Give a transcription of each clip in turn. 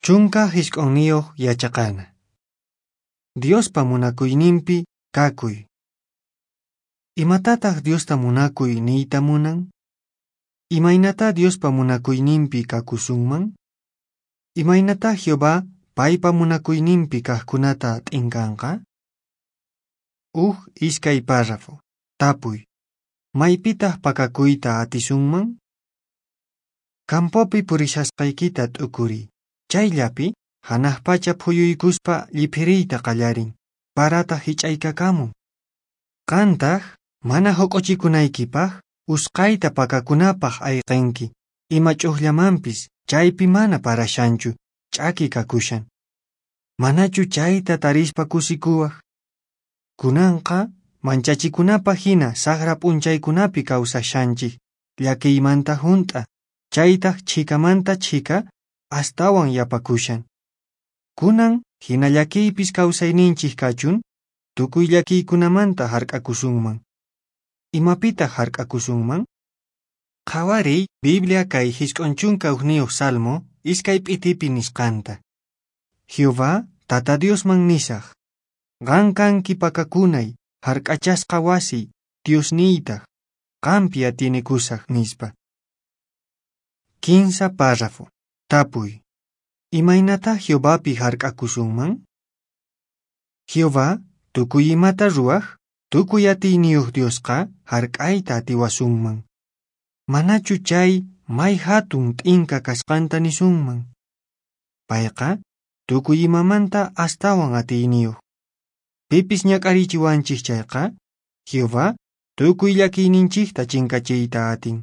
19 yachaqana. Diospa munakuyninpi kakuy. Imatataq Diosta munakuy niyta munan? Imaynatá Diospa munakuyninpi kakusunman? Imaynatá Jehová paypa munakuyninpi kaqkunata t'inkanqa? Uj iskay párrafo. Tapuy. Maypitaq pakakuyta atisunman? Campopi purishasqaykita t'ukuriy. Chayllapi hanaq pacha phuyuykuspa lliphiriyta qallarin, parataq hich'aykakamun. Qantaq mana huq'uchikunaykipaq usqhayta pakakunapaq ayqinki, ima ch'uqllamanpis chaypi mana parashanchu, ch'aki kakushan. Manachu chayta tarispa kusikuwaq? Kunanqa manchachikunapaq hina saqra p'unchaykunapi kawsashanchik, llakiymanta hunt'a, chaytaq chhikamanta chhika astawan yapakushan. Kunan hina llakiypis kawsayninchik kachun, tukuy llakiykunamanta hark'akusunman. Imapitaq hark'akusunman? Qhawariy Biblia kay 91 Salmo iskay p'itipi nisqanta. Jehová Tata Diosman nisaq, qan kanki pakakunay, hark'achasqa wasiy, Diosniytaq, qampi atienekusaq nispa. 15 párrafo. Tapuy. Imaynatá Jehovapi hark'akusunman? Jehová tukuy imata ruwaq, tukuy atiyniyuq Diosqa hark'ayta atiwasunman. Manachu chay may hatun t'inka kasqanta nisunman? Payqa tukuy imamanta astawan atiyniyuq. Pipis ñak'arichiwanchik chayqa, Jehová tukuy llakiyninchikta chinkachiyta atin.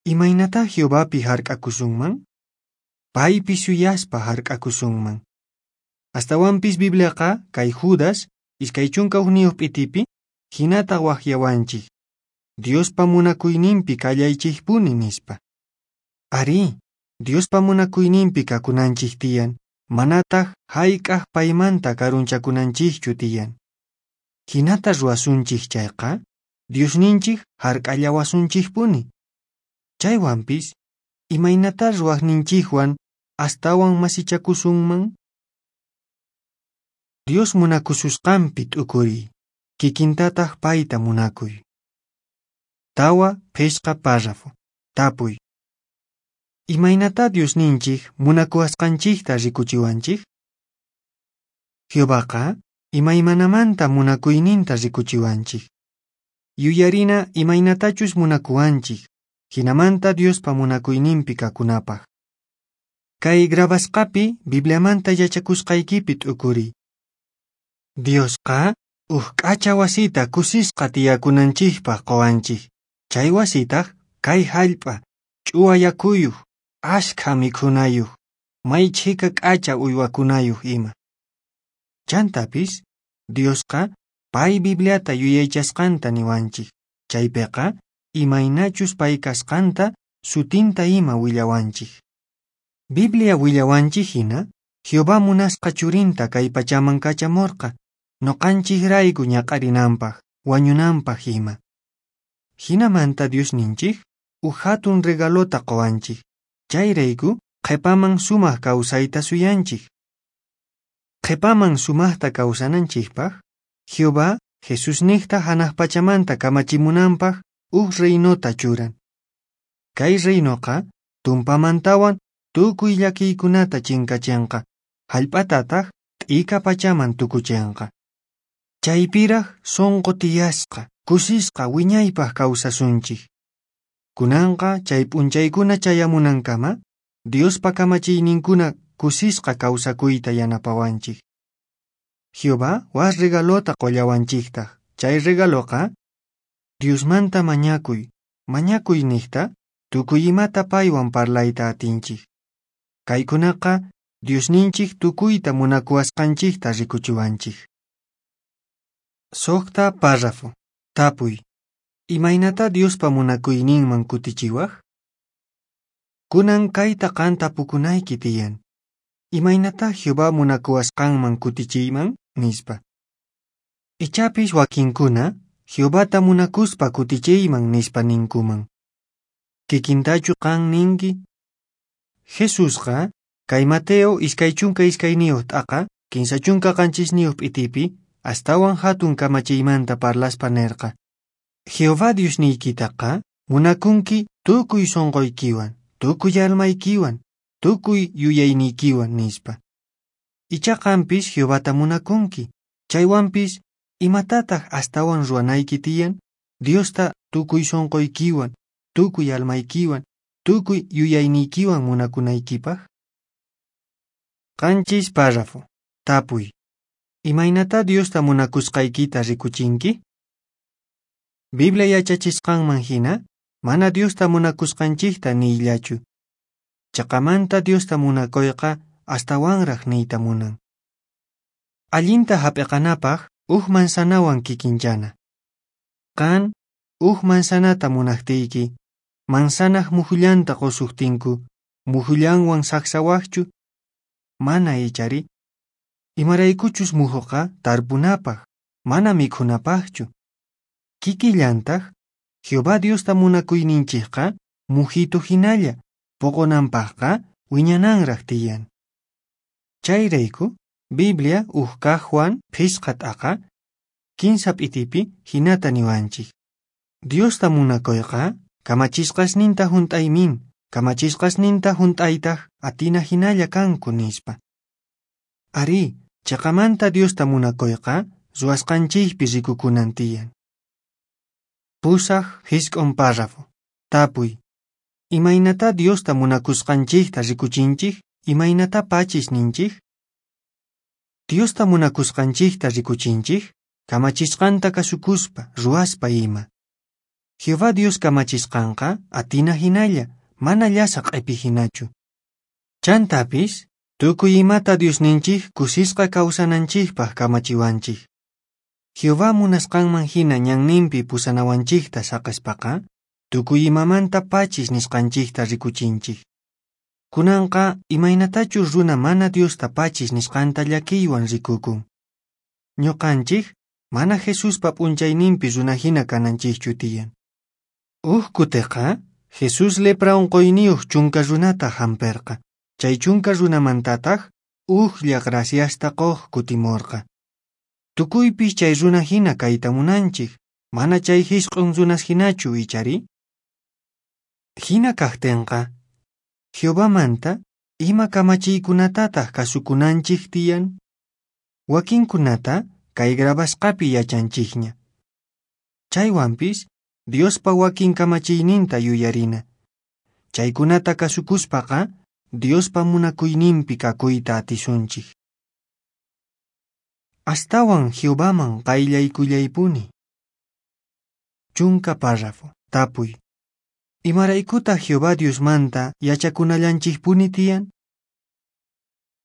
Imaynatá Jehovapi hark'akusunman? Paypi suyaspa hark'akusunman. Astawanpis Bibliaqa kay Judas 21 p'itipi hinata waqyawanchik, Diospa munakuyninpi kallaychikpuni nispa. Arí, Diospa munakuyninpi kakunanchik tiyan, manataq hayk'aq paymanta karunchakunanchikchu tiyan. Hinata ruwasunchik chayqa, Diosninchik hark'allawasunchikpuni. Chaywanpis, imaynatá ruwaqninchikwan astawan masichakusunman? Dios munakususqanpi t'ukuriy, kikintataq payta munakuy. 4 5 párrafo. Tapuy. Imaynatá Diosninchik munakuwasqanchikta rikuchiwanchik? Jehovaqa imaymanamanta munakuyninta rikuchiwanchik. Yuyarina imaynatachus munakuwanchik, hinamanta Diospa munakuyninpi kakunapaq. Kay grabasqapi Bibliamanta yachakusqaykipi t'ukuriy. Diosqa uj k'acha wasita kusisqa tiyakunanchikpaq quwanchik. Chay wasitaq kay hallp'a, ch'uwa yakuyuq, ashkha mikhunayuq, may chhika k'acha uywakunayuq ima. Chantapis, Diosqa pay Bibliata yuyaychasqanta niwanchik. Chaypiqa imaynachus pay kasqanta sutinta ima willawanchik. Biblia willawanchik hina, Jehová munasqa churinta kay pachaman kachamurqa, noqanchikrayku ñak'arinanpaq, wañunanpaq ima. Hinamanta Diosninchik uj hatun regalota quwanchik, chayrayku qhipaman sumaq kawsayta suyanchik. Qhipaman sumaqta kawsananchikpaq, Jehová Jesusniqta hanaq pachamanta kamachimunanpaq uj reinota churan. Kay reinoqa tumpamantawan tukuy llakiykunata chinkachinqa, hallp'atataq t'ika pachaman tukuchinqa. Chaypiraq sunqu tiyasqa, kusisqa wiñaypaq kawsasunchik. Kunanqa chay p'unchaykuna chayamunankama, Diospa kamachiyninkuna kusisqa kawsakuyta yanapawanchik. Jehová wak regalota qullawanchiktaq. Chay regaloqa Diosmanta mañakuy, mañakuy niqta tukuy imata paywan parlayta atinchik. Kaykunaqa Diosninchik tukuyta munakuwasqanchikta rikuchiwanchik. 6 párrafo. Tapuy. Imaynatá Diospa munakuyninman kutichiwaq? Kunan kayta qan tapukunayki tiyan. Imaynatá Jehová munakuwasqanman kutichiyman? Nispa. Ichapis wakinkuna Jehovata munakuspa kutichiyman nispa ninkuman. Kikintachu qan ninki? Jesusqa Kay Mateo 22 t'aqa, 37 p'itipi, astawan hatun kamachiymanta parlaspa nerqa: Jehová Diosniykitaqa munakunki tukuy sonqoykiwan, tukuy almaykiwan, tukuy yuyayniykiwan, nispa. Icha qampis Jehovata munakunki, chaywanpis imatataq astawan ruwanayki tiyan? Diosta tukuy sonqoykiwan, tukuy almaykiwan, tukuy yuyayniykiwan munakunaykipaq. 7 párrafo. Tapuy. Imaynatá Diosta munakusqaykita rikuchinki? Biblia yachachisqanman hina, mana Diosta munakusqanchikta niyllachu. Chaqamanta Diosta munakuyqa astawanraq niyta munan. Allinta hap'iqanapaq uj manzanawan kikinchana. Qan uj manzanata munaqtiyki, manzanaq muhullanta qusuqtinku, muhullanwan saqsawaqchu? Mana ichari. Imaraykuchus muhuqa tarpunapaq, mana mikhunapaqchu. Kikillantaq, Jehová Diosta munakuyninchikqa muhitu hinalla, poqonanpaqqa wiñananraq tiyan. Chayrayku, Biblia uj kaq Juan 5 t'aqa, 15 p'itipi hinata niwanchik. Diosta munakuyqa kamachisqasninta hunt'aymin, kamachisqasninta hunt'aytaq atina hinalla kanku, nispa. Arí, chaqamanta Diosta munakuyqa ruwasqanchikpi rikukunan tiyan. 8 jisq'un párrafo. Tapuy. Imaynatá Diosta munakusqanchikta rikuchinchik? Imaynatá pachis ninchik? Diosta munakusqanchikta rikuchinchik, kamachisqanta kasukuspa, ruwaspa ima. Jehová Dios kamachisqanqa atina hinalla, mana llasa q'epi hinachu. Chantapis, tukuy imata Diosninchik kusisqa kawsananchikpaq kamachiwanchik. Jehová munasqanman hina ñanninpi pusanawanchikta saqespaqa, tukuy imamanta pachis nisqanchikta rikuchinchik. Kunanqa imaynatachus runa mana Diosta pachis nisqanta llakiywan rikukun. Ñuqanchik mana Jesuspa p'unchayninpi runa hina kananchikchu tiyan. Uj kutiqa, Jesús lepra unquyniyuq 10 runata hamperqa. Chay 10 runamantataq ujlla graciasta quq kutimurqa. Tukuypis chay runa hina kayta munanchik, mana chay 9 runas hinachu ichari? Hina kaqtinqa, Jehovamanta ima kamachiykunatataq kasukunanchik tiyan? Wakinkunata kay grabasqapi yachanchikña. Chaywanpis Diospa wakin kamachiyninta yuyarina. Chaykunata kasukuspaqa Diospa munakuyninpi kakuyta atisunchik. Astawan Jehovaman qayllaykullaypuni. 10 párrafo. Tapuy. Imaraykutaq Jehová Diosmanta yachakunallanchikpuni tiyan?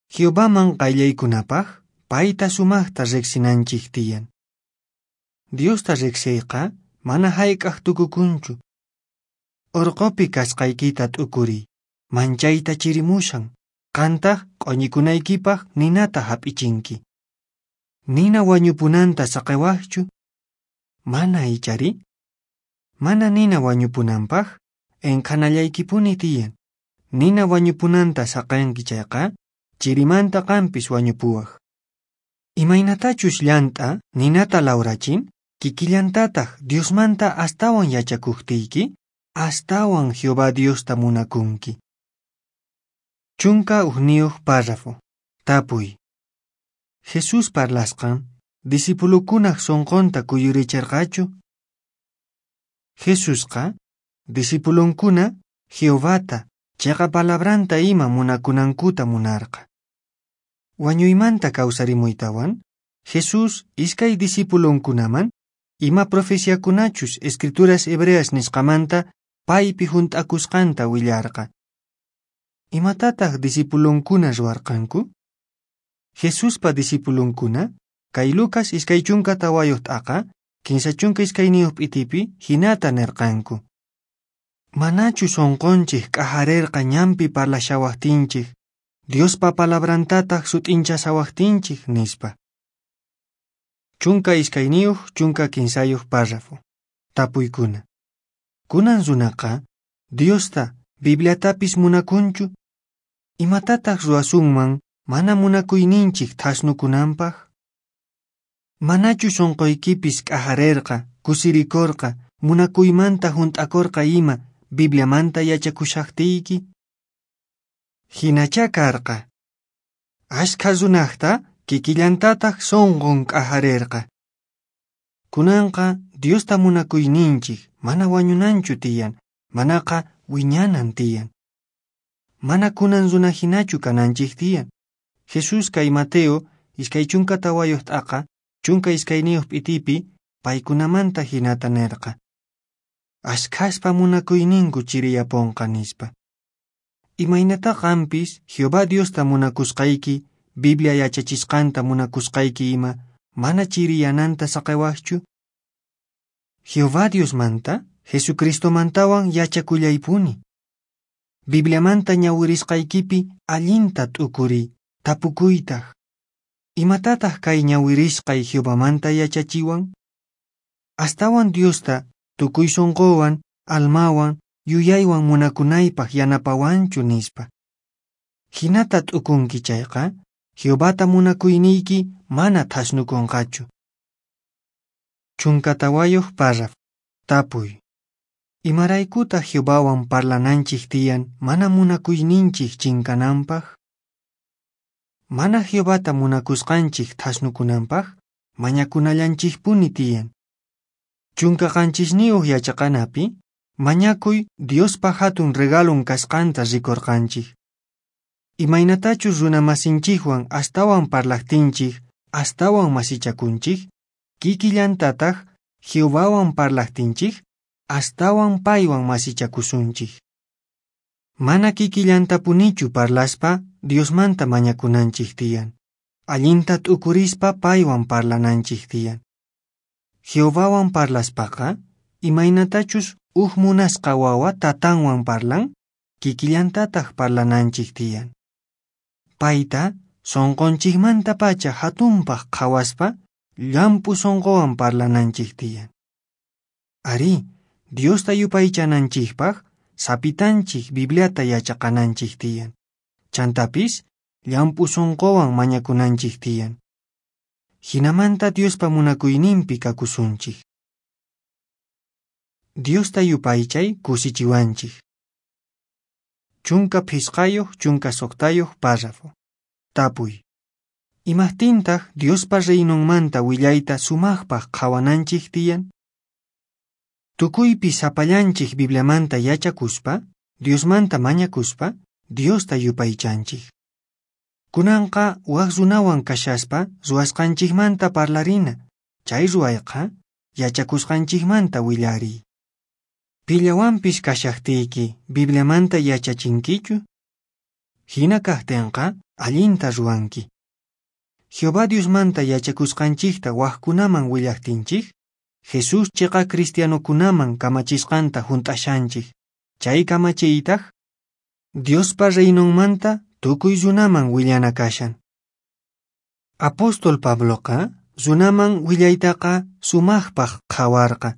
Jehovaman qayllaykunapaq payta sumaqta riqsinanchik tiyan. Diosta riqsiyqa mana hayk'aq tukukunchu. Urqupi kasqaykita t'ukuriy, manchayta chirimushan, qantaq q'uñikunaykipaq ninata hap'ichinki. Nina wañupunanta saqewaqchu? Mana ichari? Mana nina wañupunanpaq enqhanallaykipuni tiyan. Nina wañupunanta saqenki chayqa, chirimanta qampis wañupuwaq. Imaynatachus llant'a ninata lawrachin, kikillantataq Diosmanta astawan yachakuqtiyki, astawan Jehová Diosta munakunki. 11 párrafo. Tapuy. Jesús parlasqan, discipulukunaq sonqonta kuyuricherqachu? Jesusqa, discipulunkuna Jehovata, chiqa palabranta ima munakunankuta munarqa. Wañuymanta kawsarimuytawan, Jesús iskay discipulunkunaman ima profeciakunachus Escrituras Hebreas nisqamanta paypi hunt'akusqanta willarqa. Imatataq discipulunkuna ruwarqanku? Jesuspa discipulunkuna kay Lucas 24 t'aqa 32 p'itipi hinata nirqanku. Manachu sonqonchik k'ajarerqa ñanpi parlashawaqtinchik, Diospa palabrantataq sut'inchasawaqtinchik, nispa. 12 13 párrafo. Tapuykuna. Kunan runaqa Diosta Bibliatapis munakunchu? Imatataq ruwasunman mana munakuyninchik thasnukunanpaq? Manachu sunquykipis k'ajarerqa, kusirikorqa, munakuymanta hunt'akorqa ima Bibliamanta yachakushaqtiyki? Hinachá karqa. Ashkha runaqta kikillantataq sunqun k'ajarerqa. Kunanqa Diosta munakuyninchik mana wañunanchu tiyan, manaqa wiñanan tiyan. Mana kunan runahinachu kananchik tiyan. Jesús kay Mateo 24 t'aqa 12 p'itipi paykunamanta hinata nerqa. Ashkhaspa munakuyninku chiriyaponqa nispa. Imaynata qampis Jehová Diosta munakusqayki, Biblia yachachisqanta munakusqayki ima mana chiriyananta saqewaqchu? Jehová Diosmanta, Jesucristomantawan yachakullaypuni. Bibliamanta ñawirisqaykipi allinta t'ukuriy, tapukuytaq. Imatataq kay ñawirisqay Jehovamanta yachachiwan? Astawan Diosta tukuy sunquwan, almawan, yuyaywan munakunaypaq yanapawanchu nispa. Hinata t'ukunki chayqa, Jehovata munakuyniyki mana thasnukunqachu. 14 párrafo. Tapuy. Imaraykutaq Jehovawan parlananchik tiyan mana munakuyninchik chinkananpaq? Mana Jehovata munakusqanchik thasnukunanpaq mañakunallanchikpuni tiyan. 17 yachaqanapi mañakuy Diospa hatun regalon kasqanta rikurqanchik. Imaynatachus runamasinchikwan astawan parlaqtinchik, astawan masichakunchik, kikillantataq Jehovawan parlaqtinchik, astawan paywan masichakusunchik. Mana kikillantapunichu parlaspa Diosmanta mañakunanchik tiyan. Allinta t'ukurispa paywan parlananchik tiyan. Jehovawan parlaspaqa, imaynatachus uj munasqa wawa tatanwan parlan, kikillantataq parlananchik tiyan. Payta sunqunchikmantapacha hatunpaq qhawaspa llamp'u sunquwan parlananchik tiyan. Arí, Diosta yupaychananchikpaq sapitanchik Bibliata yachaqananchik tiyan. Chantapis llamp'u sunquwan mañakunanchik tiyan. Hinamanta Diospa munakuyninpi kakusunchik. Diosta yupaychay kusichiwanchik. 15 16 párrafo. Tapuy. Imaqtintaq Diospa reinonmanta willayta sumaqpaq qhawananchik tiyan? Tukuypi sapallanchik Bibliamanta yachakuspa, Diosmanta mañakuspa, Diosta yupaychanchik. Kunanqa wak runawan kashaspa ruwasqanchikmanta parlarina, chay ruwayqa yachakusqanchikmanta willariy. Pillawanpis kashaqtiyki Bibliamanta yachachinkichu? Hina kaqtinqa allinta ruwanki. Jehová Diosmanta yachakusqanchikta wakkunaman willaqtinchik, Jesús chiqa cristianokunaman kamachisqanta hunt'ashanchik. Chay kamachiytaq Diospa reinonmanta tukuy runaman willana kashan. Apóstol Pabloqa runaman willaytaqa sumaqpaq qhawarqa.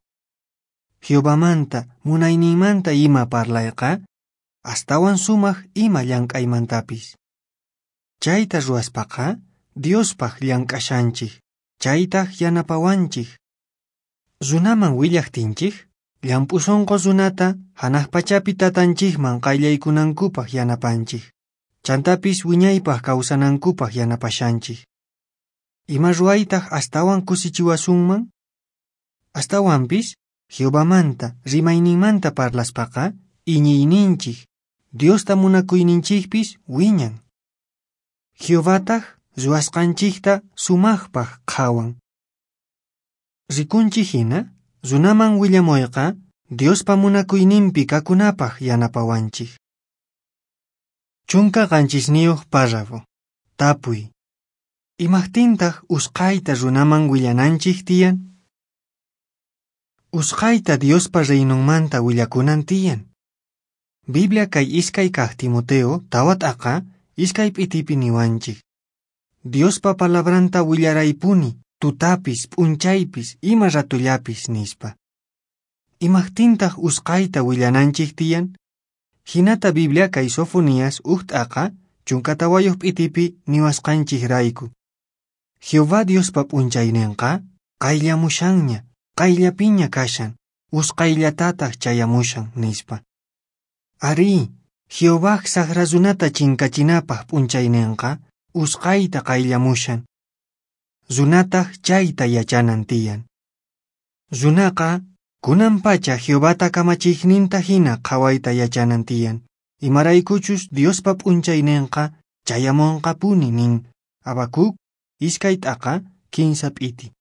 Jehovamanta, munayninmanta ima parlayqa, astawan sumaq ima llank'aymantapis. Chayta ruwaspaqa Diospaq llank'ashanchik, chaytaq yanapawanchik. Runaman willaqtinchik, llamp'u sunqu runata hanaq pachapi tatanchikman qayllaykunankupaq yanapanchik. Chantapis wiñaypaq kawsanankupaq yanapashanchik. Ima ruwaytaq astawan kusichiwasunman? Astawanpis Jehovamanta, rimayninmanta parlaspaqa iñiyninchik, Diosta munakuyninchikpis wiñan. Jehovataq ruwasqanchikta sumaqpaq qhawan. Rikunchik hina, runaman willamuyqa Diospa munakuyninpi kakunapaq yanapawanchik. 17 párrafo. Tapuy. Imaqtintaq usqhayta runaman willananchik tiyan? Usqhayta Diospa reinonmanta willakunan tiyan. Biblia kay 2 kaq Timoteo 4 t'aqa 2 p'itipi niwanchik. Diospa palabranta willaraypuni, tutapis, p'unchaypis, ima ratullapis nispa. Imaqtintaq usqhayta willananchik tiyan? Hinata Biblia kay Sofonías 1 t'aqa 14 p'itipi niwasqanchikrayku. Jehová Diospa p'unchayninqa qayllamushanña, qayllapiña kashan, usqayllatataq chayamushan, nispa. Arí, Jehová saqra runata chinkachinapaq p'unchayninqa usqayta qayllamushan. Runataq chayta yachanan tiyan. Runaqa kunan pacha Jehovata kamachiqninta hina qhawayta yachanan tiyan. Imaraykuchus Diospa p'unchayninqa chayamunqapuni nin. Habacuc 2 t'aqa 15 p'iti.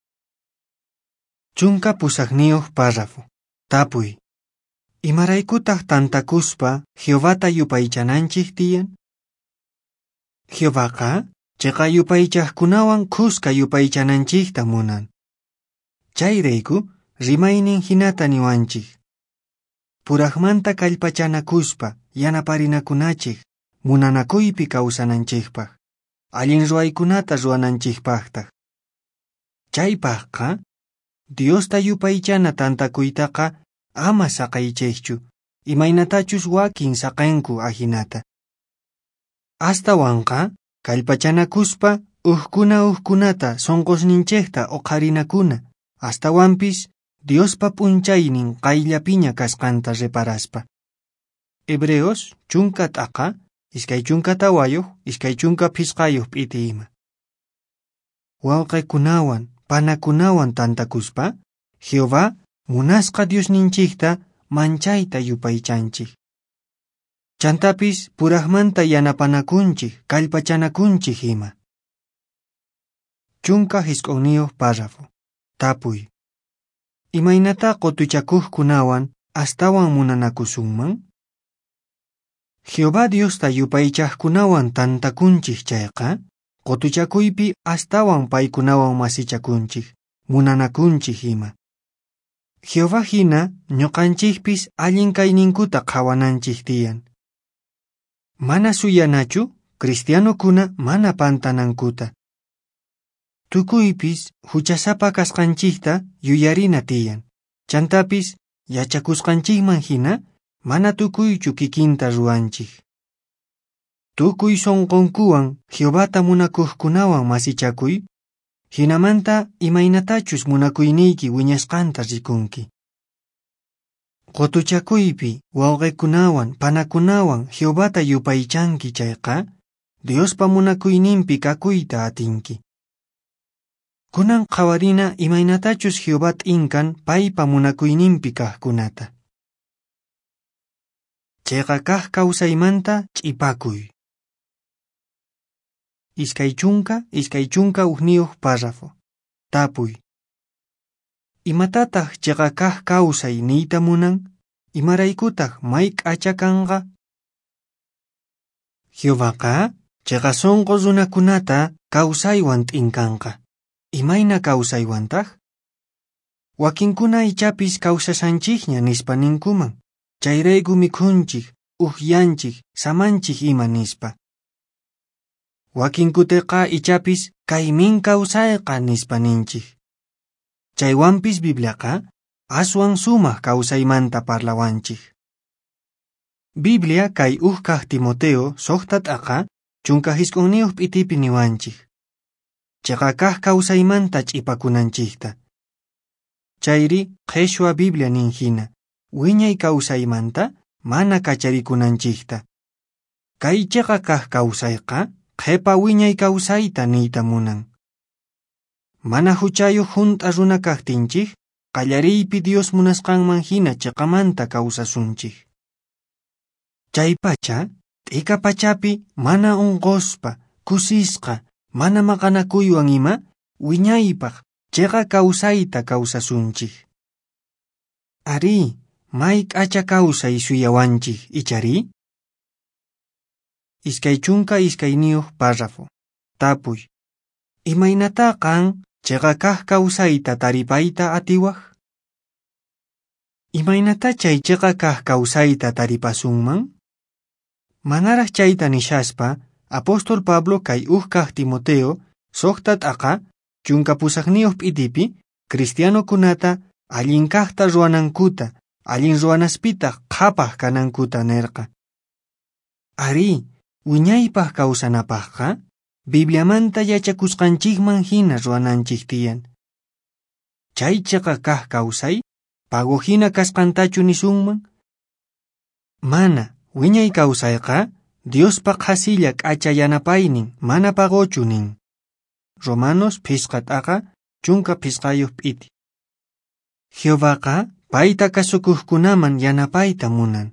18 párrafo. Tapuy. Imaraykutaq tantakuspa Jehovata yupaychananchik tiyan? Jehovaqa chiqa yupaychaqkunawan khuska yupaychananchikta munan. Chayrayku rimaynin hinata niwanchik. Puraqmanta kallpachanakuspa yanaparinakunachik munanakuypi kawsananchikpaq, allin ruwaykunata ruwananchikpaqtaq. Chaypaqqa Diosta yupaychana tantakuytaqa ama saqaychikchu, imaynatachus wakin saqanku ajinata. Astawanqa kallpachanakuspa ukkuna ukkunata sunqusninchikta uqharinakuna, astawanpis Diospa p'unchaynin qayllapiña kasqanta reparaspa. Hebreos 10 t'aqa 24 25 p'iti ima. Wawqikunawan panakunawan tantakuspa Jehová munasqa Diosninchikta manchayta yupaychanchik. Chantapis puraqmanta yanapanakunchik kallpachanakunchik ima. 19 párrafo. Tapuy. Imaynata qutuchakuqkunawan astawan munanakusunman? Jehová Diosta yupaychaqkunawan tantakunchik chayqa, qutuchakuypi astawan paykunawan masichakunchik, munanakunchik ima. Jehová hina ñuqanchikpis allin kayninkuta qhawananchik tiyan. Mana suyanachu cristianokuna mana pantanankuta. Tukuypis huchasapa kasqanchikta yuyarina tiyan. Chantapis yachakusqanchikman hina mana tukuychu kikinta ruwanchik. Tukuy sunqunkuwan Jehovata munakuqkunawan masichakuy, hinamanta imaynatachus munakuyniyki wiñasqanta rikunki. Qutuchakuypi wawqikunawan panakunawan Jehovata yupaychanki chayqa, Diospa munakuyninpi kakuyta atinki. Kunan qhawarina imaynatachus Jehová t'inkan paypa munakuyninpi kaqkunata. Chiqa kaq kawsaymanta ch'ipakuy. 20 21 párrafo. Tapuy. Imatataq chiqa kaq kawsay niyta munan? Imaraykutaq may k'acha kanqa? Jehovaqa chiqa sunqu runakunata kawsaywan t'inkanqa. Imayna kawsaywantaq? Wakinkuna ichapis kawsashanchikña nispa ninkuman. Chayrayku mikhunchik, ukyanchik, samanchik ima nispa. Wakinkutiqa ichapis kaymin kawsayqa nispa ninchik. Chaywanpis Bibliaqa aswan sumaq kawsaymanta parlawanchik. Biblia kay uj kaq Timoteo 6 t'aqa 19 p'itipi niwanchik. Chiqa kaq kawsaymanta ch'ipakunanchikta. Chayri qheshwa Biblia nin hina, wiñay kawsaymanta mana kacharikunanchikta. Kay chiqa kaq kawsayqa qhipa wiñay kawsayta niyta munan. Mana huchayuq hunt'a runa kaqtinchik, qallariypi Dios munasqanman hina chiqamanta kawsasunchik. Chaypacha, t'ika pachapi mana unquspa, kusisqa, mana maqanakuywan ima, wiñaypaq chiqa kawsayta kawsasunchik. Arí, may k'acha kawsay suyawanchik, ichari? 22 párrafo. Tapuy. Imaynata qan chiqa kaq kawsayta taripayta atiwaq? Imaynata chay chiqa kaq kawsayta taripasunman? Manaraq chayta nishaspa, Apóstol Pablo kay uj kaq Timoteo 6 t'aqa 18 p'itipi cristianokunata allin kaqta ruwanankuta, allin ruwanaspitaq qhapaq kanankuta nirqa. Arí, Wiñaypaq kawsanapaqqa, Bibliamanta yachakusqanchikman hina ruwananchik tiyan. Chay chiqa kaq kawsay, pago hina kasqantachu nisunman? Mana, wiñay kawsayqa, Diospa qhasilla k'acha yanapaynin, mana pagochu nin. Romanos phisqa t'aqa, 15 p'iti. Jehovaqa payta kasukuqkunaman yanapayta munan.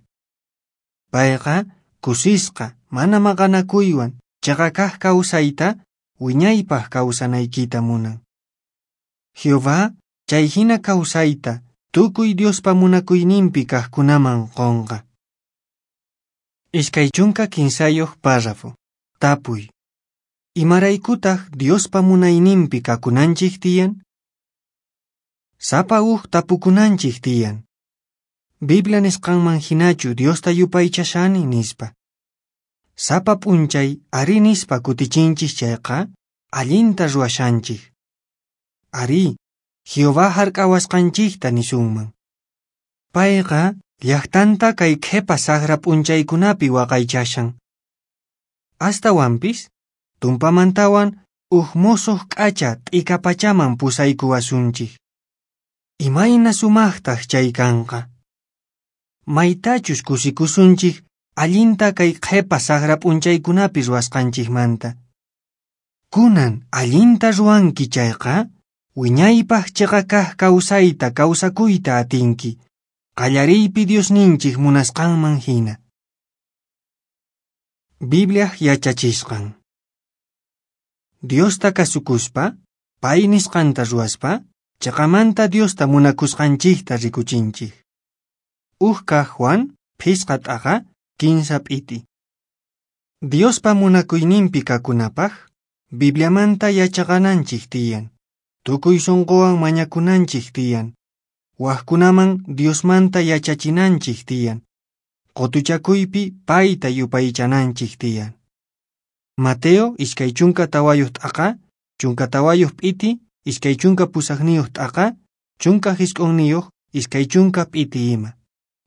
Payqa kusisqa, mana maqanakuywan, chiqa kaq kawsayta, wiñaypaq kawsanaykita munan. Jehová chay hina kawsayta tukuy Diospa munakuyninpi kaqkunaman qunqa. 23 párrafo. Tapuy. Imaraykutaq Diospa munayninpi kakunanchik tiyan? Sapa uj tapukunanchik tiyan. Biblia nisqanman hinachu Diosta yupaychashani nispa. Sapa p'unchay ari nispa kutichinchik chayqa, allinta ruwashanchik. Ari, Jehová hark'awasqanchikta nisunman. Payqa llaqtanta kay qhipa saqra p'unchaykunapi waqaychashan. Astawanpis, tumpamantawan uj musuq k'acha t'ika pachaman pusaykuwasunchik. Imayna sumaqtaq chay kanqa. Maytachus kusikusunchik allinta kay qhipa saqra p'unchaykunapi ruwasqanchikmanta. Kunan allinta ruwanki chayqa, wiñaypaq chiqa kaq kawsayta kawsakuyta atinki, qallariypi Diosninchik munasqanman hina. Bibliaq yachachisqan. Diosta kasukuspa, pay nisqanta ruwaspa, chiqamanta Diosta munakusqanchikta rikuchinchik. Uj kaq Juan, phisqa t'aqa, 15 p'iti. Diospa munakuyninpi kakunapaq, Bibliamanta yachaqananchik tiyan, tukuy sunquwan mañakunanchik tiyan, waqkunaman Diosmanta yachachinanchik tiyan, qutuchakuypi payta yupaychananchik tiyan. Mateo 24 t'aqa, 14 p'iti, 28 t'aqa, 19, 20 p'iti ima.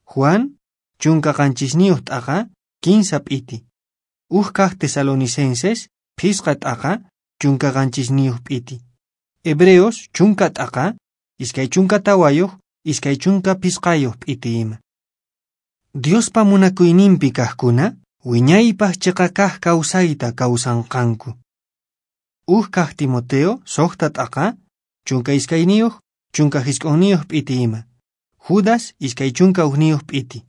Juan, 17 t'aqa, 15 p'iti. Uj kaq Tesalonicenses, phisqa t'aqa, 17 p'iti. Hebreos, 10 t'aqa, 24, 25 p'iti ima. Diospa munakuyninpi kaqkuna, wiñaypaq chiqa kaq kawsayta kawsanqanku. Uj kaq Timoteo, 6 t'aqa, 22, 19 p'iti ima. Judas, 21 p'iti.